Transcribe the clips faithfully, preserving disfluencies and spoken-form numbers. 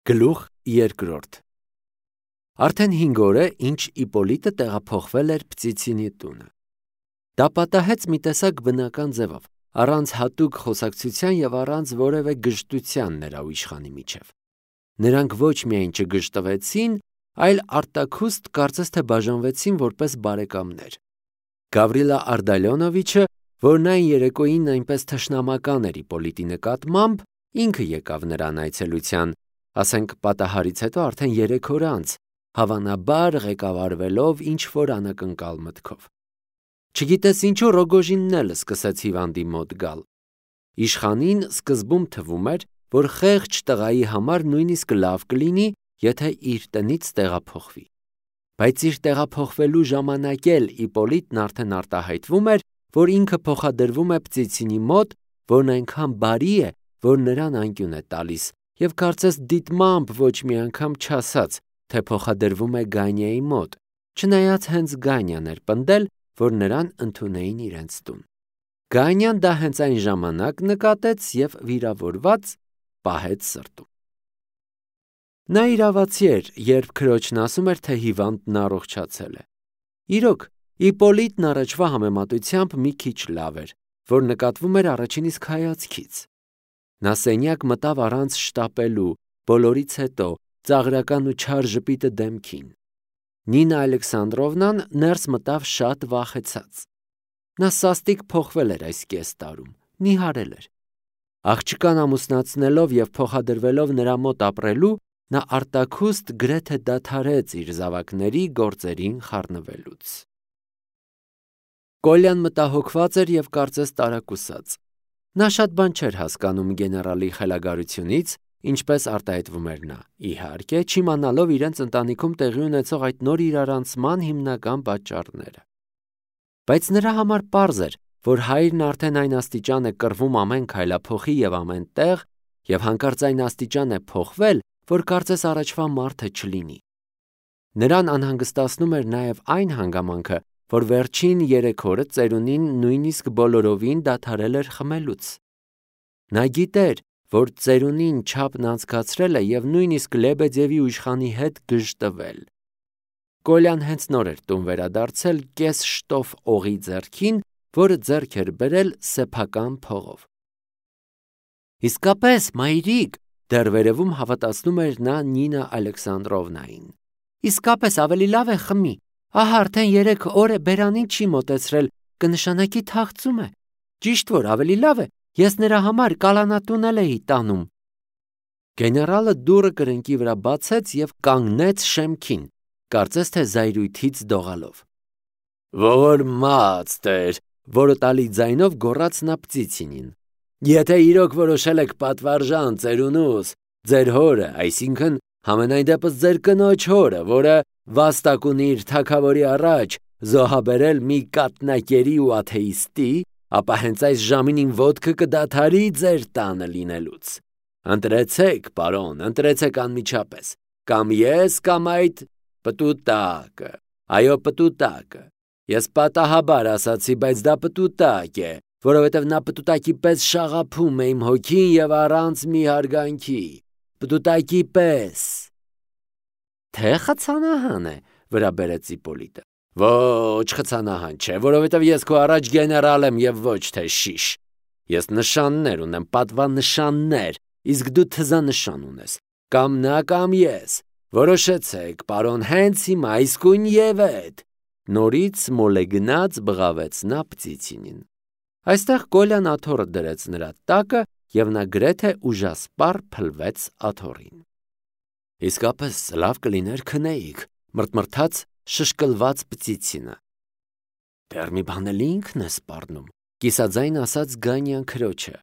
Գլուխ երկրորդ Արդեն հինգ օր է, ինչ Իպոլիտը տեղափոխվել էր Պծիցինի տունը։ Դա պատահեց մի տեսակ բնական ձևով, առանց հատուկ խոսակցության եւ առանց որևէ գժտության նրա ու իշխանի միջև։ Նրանք ոչ միայն չգժտվեցին, այլ արտաքուստ կարծես թե բաժանվեցին որպես բարեկամներ։ Գավրիլա Արդալյոնովիչը, որն այն երեկոյին այնպես թշնամական էր Իպոլիտի նկատմամբ, ինքը եկավ նրան այցելության, ասենք պատահարից հետո արդեն երեք օր անց, հավանաբար ղեկավարվելով ինչ-որ անակնկալ մտքով։ Չգիտես ինչու Ռոգոժինն էլ սկսեց հիվանդի մոտ գալ։ Իշխանին սկզբում թվում էր, որ խեղճ տղայի համար նույնիսկ լավ կլինի, եթե իր տնից տեղափոխվի։ Բայց իր տեղափոխվելու ժամանակ էլ Իպոլիտն արդեն արտահայտվում էր, որ ինքը փոխադրվում է Պծիցինի մոտ, որն այնքան բարի է, որ նրան անկյուն է տալիս, եւ կարծես դիտմամբ ոչ մի անգամ չասաց, թե փոխադրվում է Գանյայի մոտ, չնայած հենց Գանյան էր պնդել, որ նրան ընդունեին իրենց տուն։ Գանյան դա հենց այն ժամանակ նկատեց եւ վիրավորված պահեց սրտում։ Նա իրավացի էր, երբ քրոջն ասում էր, թե հիվանդն առողջացել է։ Իրոք, Իպոլիտն առաջվա համեմատությամբ մի քիչ լավ էր, որ նկատվում էր առաջին իսկ հայացքից։ Նա սենյակ մտավ առանց շտապելու, բոլորից հետո, ծաղրական ու չար ժպիտը դեմքին։ Նինա Ալեքսանդրովնան ներս մտավ շատ վախեցած։ Նա սաստիկ փոխվել էր այս կես տարում, նիհարել էր։ Աղջկան ամուսնացնելով եւ փոխադրվելով նրա մոտ ապրելու, նա արտաքուստ գրեթե դադարեց իր զավակների գործերին խառնվելուց։ Կոլյան մտահոգված էր եւ կարծես տարակուսած։ Նա շատ բան չէր հասկանում գեներալի խելագարությունից, ինչպես արտահայտվում էր նա, իհարկե, չիմանալով իրենց ընտանիքում տեղի ունեցող այդ նոր իրարանցման հիմնական պատճառները։ Բայց նրա համար պարզ էր, որ հայրն արդեն այն աստիճան է կռվում ամեն քայլափոխի եւ ամեն տեղ, եւ հանկարծ այն աստիճան է փոխվել, որ կարծես առաջվա մարդը չլինի։ Նրան անհանգստացնում էր նաեւ այն հանգամանքը, որ վերջին երեք օրը ծերունին նույնիսկ բոլորովին դադարել էր խմելուց։ Նա գիտեր, որ ծերունին չափն անցկացրել է եւ նույնիսկ Լեբեդևի ու իշխանի հետ գժտվել։ Կոլյան հենց նոր էր տուն վերադարձել կես շտով օղի ձեռքին, որը ձեռք էր բերել սեփական փողով։ Իսկապես, մայրիկ, դեռ վերևում հավատացնում էր նա Նինա Ալեքսանդրովնային։ Իսկապես ավելի լավ է խմի։ Ահա արդեն երեք օր է բերանին չի մոտեցրել, կնշանակի թախծում է։ Ճիշտ որ ավելի լավ է, ես նրա համար կալանատուն էլ էի տանում։ Գեներալը դուռը կրնկի վրա բացեց եւ կանգնեց շեմքին, կարծես թե զայրույթից դողալով։ Ողորմած Տեր, որը տալի ձայնով գոռաց նա Պծիցինին։ Եթե իրոք որոշել եք պատվարժան ծերունուս, ձեր հորը, այսինքն համենայն դեպս ձեր կնոջ հորը, որը վաստակ ունի իր թագավորի առաջ, զոհաբերել մի կատնակերի ու աթեիստի, ապա հենց այս ժամին իմ ոտքը կդադարի ձեր տանը լինելուց։ Ընտրեցեք, պարոն, ընտրեցեք անմիջապես, կամ ես, կամ այդ պտուտակը, այո պտուտակը։ Ես պատահաբար ասացի, բայց դա պտուտակ է, որովհետև նա պտուտակի պես շաղափում է իմ հոգին եւ առանց մի հարգանքի, պտուտակի պես։ Թե խցանահան է, վրա բերեց Իպոլիտը։ Ոչ, խցանահան չէ, որովհետև ես քո առաջ գեներալ եմ եւ ոչ թե շիշ։ Ես նշաններ ունեմ, պատվանշաններ, իսկ դու թզանշան ունես, կամ նա կամ ես։ Որոշեցեք, պարոն, հենց հիմա իսկույն եւ այդ։ Նորից մոլեգնած բղավեց նա Պծիցինին։ Այստեղ Կոլյան աթոռը դրեց նրա տակը եւ նա գրեթե ուժասպառ փլվեց աթոռին։ Իսկապես լավ կլիներ քնեիք, մրթմրթաց շշկլված Պծիցինը։ Դեռ մի բան էլ ինքն է սպառնում, կիսաձայն ասաց Գանյան քրոջը։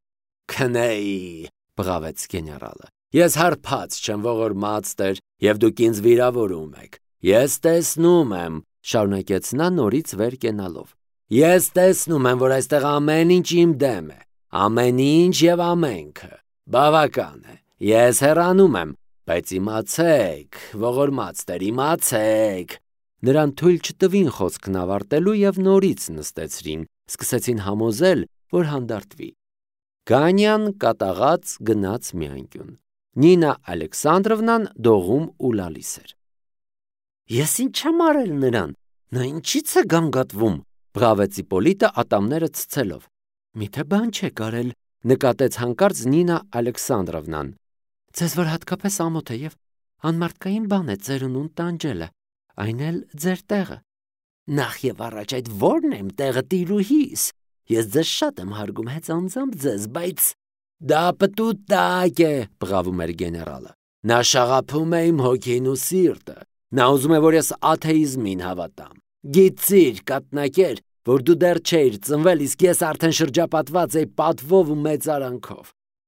Քնեի, բղավեց գեներալը։ Ես հարբած չեմ, ողորմած Տեր, եւ դուք ինձ վիրավորում եք։ Ես տեսնում եմ, շարունակեց նա նորից վեր կենալով։ Ես տեսնում եմ, որ այստեղ ամեն ինչ իմ դեմ է, ամեն ինչ եւ ամենքը։ Բավական է։ Ես հեռանում եմ, բայց իմացեք, ողորմած Տեր, իմացեք։ Նրան թույլ չտվին խոսքն ավարտելու եւ նորից նստեցրին, սկսեցին համոզել, որ հանդարտվի։ Գանյան կատաղած գնաց մի անկյուն։ Նինա Ալեքսանդրովնան դողում ու լալիս էր։ Ես ինչ եմ արել նրան, նա ինչից է գանգատվում, բղավեց Իպոլիտը ատամները ցցելով։ Միթե բան չեք արել, նկատեց հանկարծ Նինա Ալեքսանդրովնան։ Ձեզ որ հատկապես ամոթ է եւ անմարդկային բան է ծերունուն տանջելը, այն էլ ձեր տեղը։ Նախ եւ առաջ այդ ո՞րն եմ տեղը տիրուհիս։ Ես ձեզ շատ եմ հարգում հենց անձամբ ձեզ, բայց դա պտուտակ է, բղավում էր գեներալը։ Նա շաղափում է իմ հոգին ու սիրտը։ Նա ուզում է, որ ես աթեիզմին հավատամ։ Գիծիր, կատնակեր, որ դու դեռ չէիր ծնվել, իսկ ես արդեն շրջապատված էի պատվով ու մեծարանքով։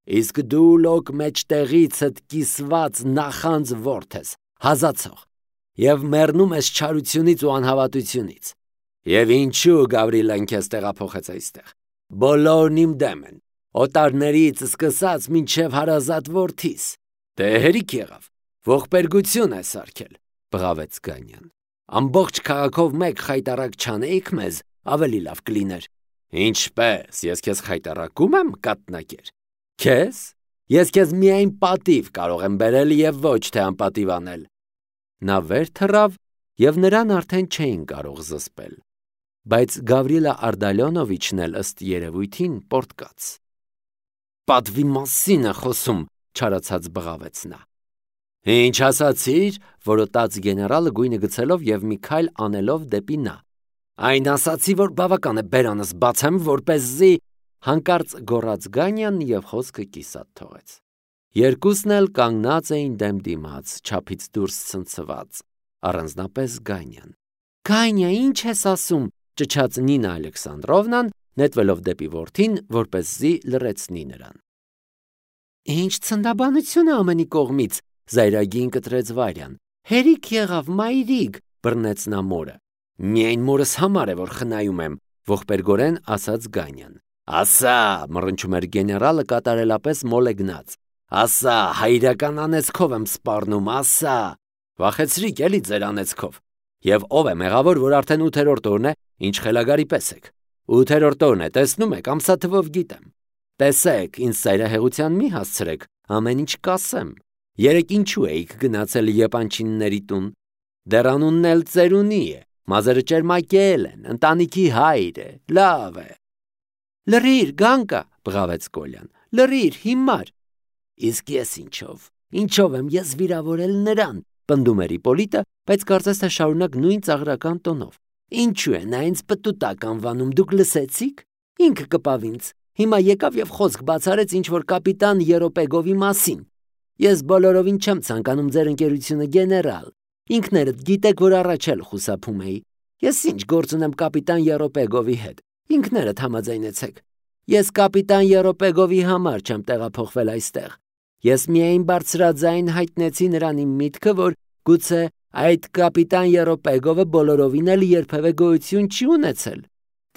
Իսկ դու լոկ մեջտեղիցդ կիսված նախանձ ворթ ես, հազացող, եւ մեռնում ես չարությունից ու անհավատությունից։ Եվ ինչու Գավրիլան քեզ տեղափոխեց այստեղ։ Բոլորն իմ դեմ են, օտարներից սկսած մինչև հարազատ որդիս։ Դե հերիք եղավ, ողբերգություն է սարքել, բղավեց Գանյան։ Ամբողջ քաղաքով մեկ խայտարակ չանեիք մեզ, ավելի լավ կլիներ։ Ինչպես, ես քեզ խայտարակում եմ, կատնակեր։ Քեզ։ Ես քեզ միայն պատիվ կարող եմ բերել եւ ոչ թե անպատիվ անել։ Նա վեր թռավ եւ նրան արդեն չէին կարող զսպել։ Բայց Գավրիլա Արտալյոնովիչն էլ ըստ երևույթին պորտկաց։ Պատվի մասին է խոսում, չարացած բղավեց նա։ Ինչ ասացիր, որոտաց գեներալը գույնը գցելով եւ մի քայլ անելով դեպի նա։ Այն ասացի, որ բավական է բերանս բացեմ, որպեսզի հանկարծ գոռաց Գանյան եւ խոսքը կիսատ թողեց։ Երկուսն էլ կանգնած էին դեմ դիմաց, չափից դուրս ցնցված, առանձնապես Գանյան։ Գանյա, ինչ ես ասում, ճչաց Նինա Ալեքսանդրովնան, նետվելով դեպի որդին, որպեսզի լռեցնի նրան։ Ինչ ցնդաբանություն է ամենի կողմից, զայրագին կտրեց Վարյան։ Հերիք եղավ, մայրիկ, բռնեց նա մորը։ Միայն մորս համար է, որ խնայում եմ, ողբերգորեն ասաց Գանյան։ Ասա, մռնչում էր գեներալը կատարելապես մոլեգնած։ Ասա, հայրական անեծքով եմ սպառնում, ասա։ Վախեցրիք էլի ձեր անեծքով։ Եվ ով է մեղավոր, որ արդեն ութերորդ օրն է, ինչ խելագարի պես եք։ Ութերորդ օրն է, տեսնում եք, ամսաթվով գիտեմ։ Տեսեք, ինձ ծայրահեղության մի հասցրեք, ամեն ինչ կասեմ։ Երեք ինչու էիք գնացել Եպանչինների տուն։ Դեռ անունն էլ ծերունի է, մազերը ճերմակել են, ընտանիքի հայր է, լավ է։ Լրիր, Գանկա, բղավեց Կոլյան, լրիր, հիմար։ Իսկ ես ինչով, ինչով եմ ես վիրավորել նրան, պնդում էր Իպոլիտը, բայց կարծես թե շարունակ նույն ծաղրական տոնով։ Ինչու է նա ինձ պտուտակ անվանում, դուք լսեցիք։ Ինքը կպավ ինձ։ Հիմա եկավ եւ խոսք բացարեց ինչ-որ կապիտան Երոպեգովի մասին։ Ես բոլորովին չեմ ցանկանում ձեր ընկերությունը, գեներալ։ Ինքներդ գիտեք, որ առաջ էլ խուսափում էի։ Ես ինչ գործ ունեմ կապիտան Երոպեգովի հետ։ Ինքներդ համաձայնեցեք։ Ես կապիտան Երոպեգովի համար չեմ տեղափոխվել այստեղ։ Ես միայն բարձրաձայն հայտնեցի նրան իմ միտքը, որ գուցե այդ կապիտան Երոպեգովը բոլորովին էլ երբևէ գոյություն չի ունեցել։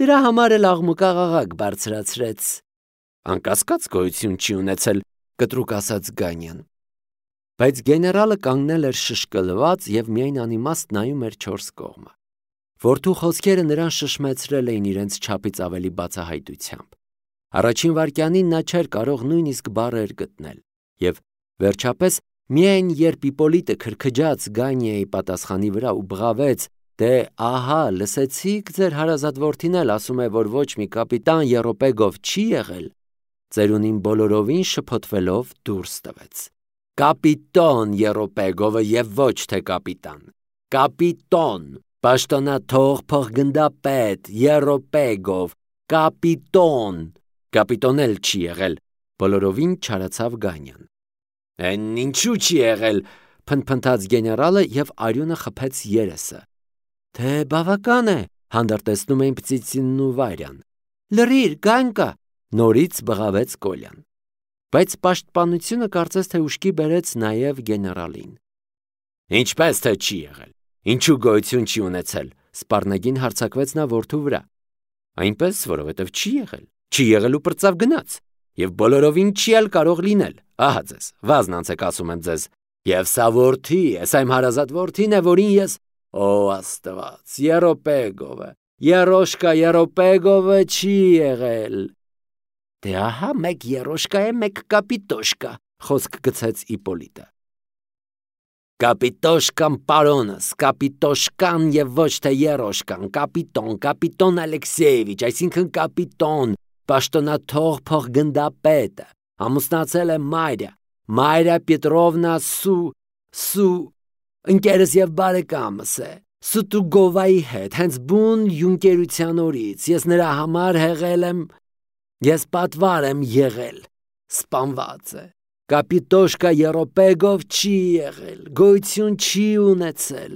Դրա համար էլ աղմուկաղաղակ բարձրացրեց։ Անկասկած գոյություն չի ունեցել, կտրուկ ասաց Գանյան։ Բայց գեներալը կանգնել էր շշկլված եւ միայն անիմաստ նայում էր չորս կողմը։ Որդու խոսքերը նրան շշմեցրել էին իրենց չափից ավելի բացահայտությամբ։ Առաջին վայրկյանին նա չէր կարող նույնիսկ բառեր գտնել, եւ վերջապես միայն երբ Իպոլիտը քրքջաց Գանիայի պատասխանի վրա ու բղավեց, դե ահա, լսեցիք, ձեր հարազատ որդին էլ ասում է, որ ոչ մի կապիտան Երոպեգով չի եղել, ծերունին բոլորովին շփոթվելով դուրս տվեց։ Կապիտոն Երոպեգովը եւ ոչ թե կապիտան։ Կապիտոն, պաշտոնաթող փոխգնդապետ Երոպեգով, կապիտոն, կապիտոն էլ չի եղել, բոլորովին չարացավ Գանյան։ Են ինչու չի եղել, փնփնթաց գեներալը եւ արյունը խփեց երեսը։ Թե բավական է, հանդարտեցնում էին Պծիցինն ու Վարյան։ Լրիր, Գանկա, նորից բղավեց Կոլյան։ Բայց պաշտպանությունը կարծես թե ուշքի բերեց նաև գեներալին։ Ինչպես թե չի եղել։ Ինչու գոյություն չի ունեցել, սպառնագին հարձակվեց նա որդու վրա։ Այնպես, որովհետև չի եղել, չի եղել ու պրծավ գնաց, եւ բոլորովին չի էլ կարող լինել։ Ահա ձեզ, վազնանցեք ասում եմ ձեզ։ Եվ սա որդի, ես այմ հարազատ որդին է, որին ես Օ Աստված, Երոպեգովը, Երոշկա Երոպեգովը չի եղել։ Դե ահա մեկ Երոշկա է, մեկ կապիտոշկա, խոսք գցեց Իպոլիտը։ Կապիտոշկան պարոնս, կապիտոշկան եւ ոչ թե երոշկան, կապիտոն, կապիտոն Ալեքսեևիչ, այսինքն կապիտոն, պաշտոնաթող փոխգնդապետը, ամուսնացել է Մարիա, Մարիա Պետրովնա Սու, Սու, ընկերս եւ բարեկամս է, Սուտուգովայի հետ, հենց բուն յունկերության օրից, ես նրա համար հեղել եմ, ես պատվար եմ եղել, սպանված է, կապիտոշկա Երոպեգով չի եղել, գոյություն չի ունեցել։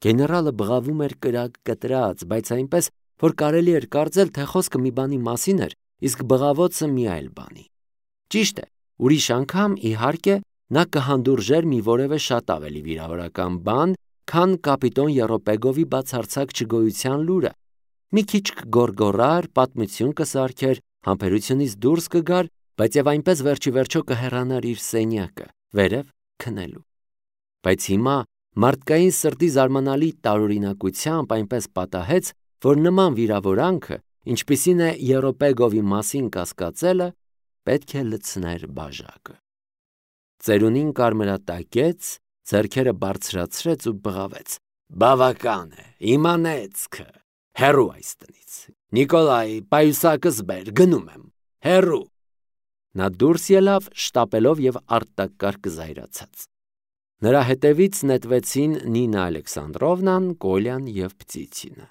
Գեներալը բղավում էր կրակ կտրած, բայց այնպես, որ կարելի էր կարծել, թե խոսքը մի բանի մասին էր, իսկ բղավոցը մի այլ բանի։ Ճիշտ է, ուրիշ անգամ, իհարկե, նա կհանդուրժեր մի որևէ շատ ավելի վիրավորական բան, քան կապիտոն Երոպեգովի բացարձակ չգոյության լուրը։ Մի քիչ կգորգորար, պատմություն կսարքեր, համբերությունից դուրս կգար, բայց եւ այնպես վերջի վերջո կհեռանար իր սենյակը, վերև քնելու։ Բայց հիմա մարդկային սրտի զարմանալի տարօրինակությամբ այնպես պատահեց, որ նման վիրավորանքը, ինչպիսին է Երոպեգովի մասին կասկածելը, պետք է լցներ բաժակը։ Ծերունին կարմրատակեց, ձեռքերը բարձրացրեց ու բղավեց. Բավական է, իմանեցքը, հեռու այս տնից, Նիկոլայ, պայուսակս բեր, գնում եմ, հեռու։ Նա դուրս ելավ, շտապելով եւ արտակարգ զայրացած։ Նրա հետևից նետվեցին Նինա Ալեքսանդրովնան, Կոլյան եւ Պտիցինը։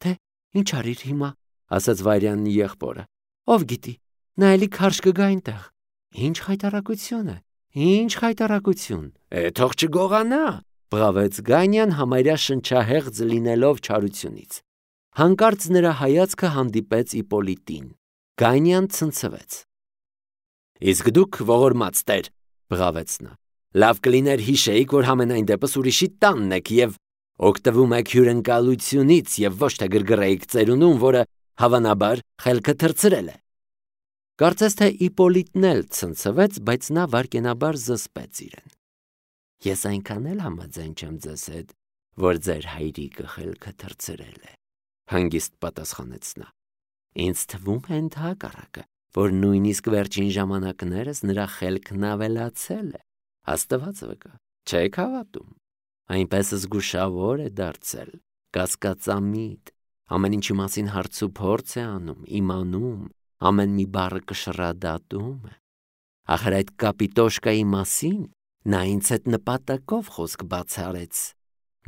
Թե ինչ արիր հիմա, ասաց Վարյանն եղբորը։ Ով գիտի, նա էլի քարշ կգա այնտեղ։ Ինչ խայտարակություն է, ինչ խայտարակություն։ Է թող չգողանա, բղավեց Գանյան համարյա շնչահեղձ լինելով չարությունից։ Հանկարծ նրա հայացքը հանդիպեց Իպոլիտին։ Գանյան ցնցվեց։ Իսկ դուք ողորմած տեր, բղավեց նա, լավ կլիներ հիշեիք, որ համենայն դեպս ուրիշի տանն եք եւ օգտվում եք հյուրընկալությունից եւ ոչ թե գրգռեիք ծերունուն, որը հավանաբար խելքը թրծրել է։ Կարծես թե Իպոլիտն էլ ցնցվեց, բայց նա վարկենաբար զսպեց իրեն։ Ես այնքան էլ համաձայն չեմ ձեզ հետ, որ ձեր հայրիկը խելքը թրծրել է, հանգիստ պատասխանեց նա։ Ինձ թվում է ընդհակառակը, որ նույնիսկ վերջին ժամանակներս նրա խելքն ավելացել է, Աստված վկա, չեք հավատում, այնպես զգուշավոր է դարձել, կասկածամիտ, ամեն ինչի մասին հարց ու փորձ է անում, իմանում, ամեն մի բառը կշռադատում է, ախր այդ կապիտոշկայի մասին նա ինձ հետ նպատակով խոսք բացառեց,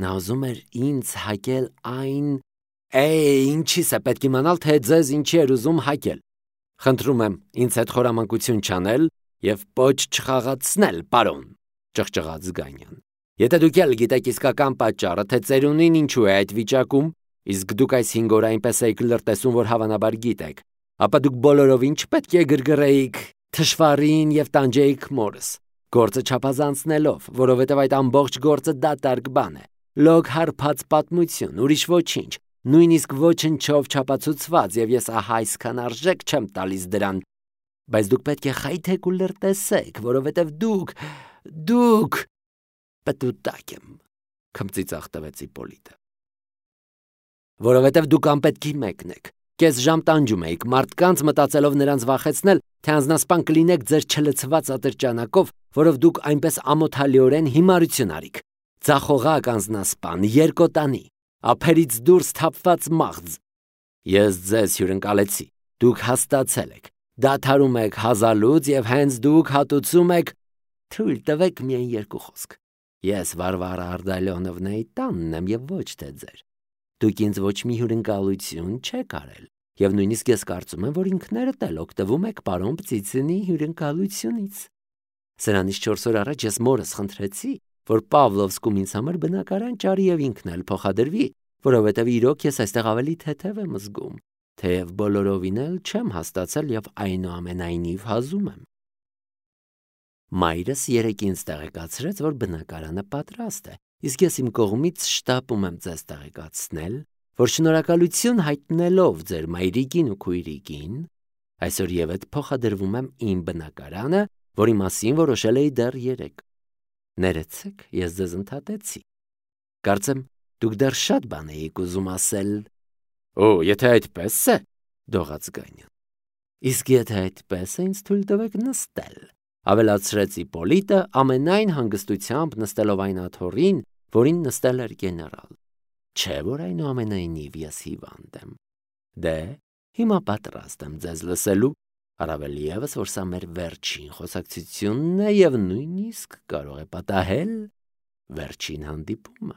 նա ուզում էր ինձ հակել այն, Էй, ինչի՞ս է պետք իմանալ, թե ձեզ ինչի էր ուզում հակել։ Խնդրում եմ ինձ հետ խորամանկություն չանել եւ պոչ չխաղացնել, պարոն, ճղճղաց Գանյան։ Եթե դուք ել գիտեք իսկական պատճառը, թե ծերունին ինչու է այդ վիճակում, իսկ դուք այս հինգ օր այնպես եք լրտեսում, որ հավանաբար գիտեք, ապա դուք բոլորովին չպետք է գրգռեիք թշվառին եւ տանջեիք մորս, գործը չափազանցնելով, որովհետեւ այդ ամբողջ գործը դատարկ բան է, լոգ հարբած պատմություն, ուրիշ ոչինչ, նույնիսկ ոչնչով չապացուցված, եւ ես ահա այսքան արժեք չեմ տալիս դրան, բայց դուք պետք է խայթեք ու լրտեսեք, որովհետեւ դուք, դուք պատուտակ եմ, քմծիծաղ տվեց Իպոլիտը։ Որովհետեւ դուք անպետքի մեկն եք, կես ժամ տանջում եք մարդկանց մտածելով նրանց վախեցնել, թե անznասպան կլինեք ձեր չլցված ատրճանակով, որով դուք այնպես ամոթալիորեն հիմարություն արիք, ձախողակ անznասպան, երկոտանի, ափերից դուրս թափված մաղձ։ Ես ձեզ հյուրընկալեցի, դուք հաստացել եք, դադարում եք հազալուց եւ հենց դուք հատուցում եք, թույլ տվեք միայն երկու խոսք։ Ես Վարվարա Արտալյոնովնայի տանն եմ եւ ոչ թե ձեր։ Դուք ինձ ոչ մի հյուրընկալություն չեք արել, եւ նույնիսկ ես կարծում եմ, որ ինքներդ էլ օգտվում եք պարոն Պտիցինի հյուրընկալությունից։ Սրանից չորս օր առաջ ես մորս խնդրեցի, որ Պավլովսկում ինձ համար բնակարան ճարի եւ ինքն էլ փոխադրվի, որովհետեւ իրոք ես այստեղ ավելի թեթև եմ զգում, թեև բոլորովին էլ չեմ հաստացել եւ այնուամենայնիվ հազում եմ։ Մայրս երեկ ինձ տեղեկացրեց, որ բնակարանը պատրաստ է, իսկ ես իմ կողմից շտապում եմ ձեզ տեղեկացնել, որ շնորհակալություն հայտնելով ձեր մայրիկին ու քույրիկին, այսօր եւեթ փոխադրվում եմ իմ բնակարանը, որի մասին որոշել էի դեռ երեկ։ Ներեցեք, ես ձեզ ընդհատեցի։ Կարծեմ, դուք դեռ շատ բան էիք ուզում ասել։ Օ, եթե այդպես է, դողաց Գանյան։ Իսկ եթե այդպես է, ինձ թույլ տվեք նստել, ավելացրեց Իպոլիտը ամենայն հանգստությամբ նստելով այն աթոռին, որին նստել էր գեներալ։ Չէ՞ որ այնուամենայնիվ ես հիվանդ եմ։ Դե, հիմա պատրաստ եմ ձեզ լսելու, առավել ևս, որ սա մեր վերջին խոսակցությունն է և նույնիսկ կարող է պատահել վերջին հանդիպումը։